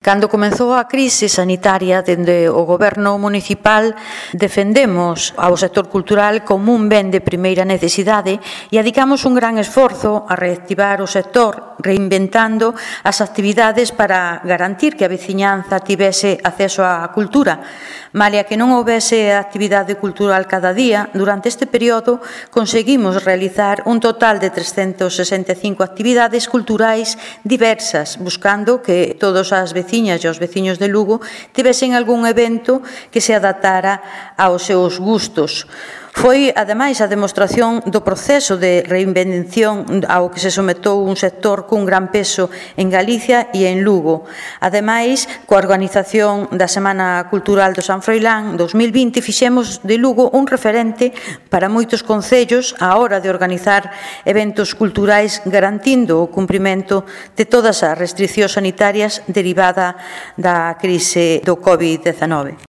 Cando comezou a crise sanitaria, dende o Goberno municipal defendemos ao sector cultural como un ben de primeira necesidade e adicamos un gran esforzo a reactivar o sector, reinventando as actividades para garantir que a veciñanza tivese acceso á cultura. Malia que non houbese actividade cultural cada día, durante este período conseguimos realizar un total de 365 actividades culturais diversas, buscando que todas as veciñas e os veciños de Lugo tivesen algún evento que se adaptara aos seus gustos. Foi, ademais, a demostración do proceso de reinvención ao que se sometou un sector cun gran peso en Galicia e en Lugo. Ademais, coa organización da Semana Cultural do San Froilán 2020, fixemos de Lugo un referente para moitos concellos á hora de organizar eventos culturais, garantindo o cumprimento de todas as restricións sanitarias derivada da crise do COVID-19.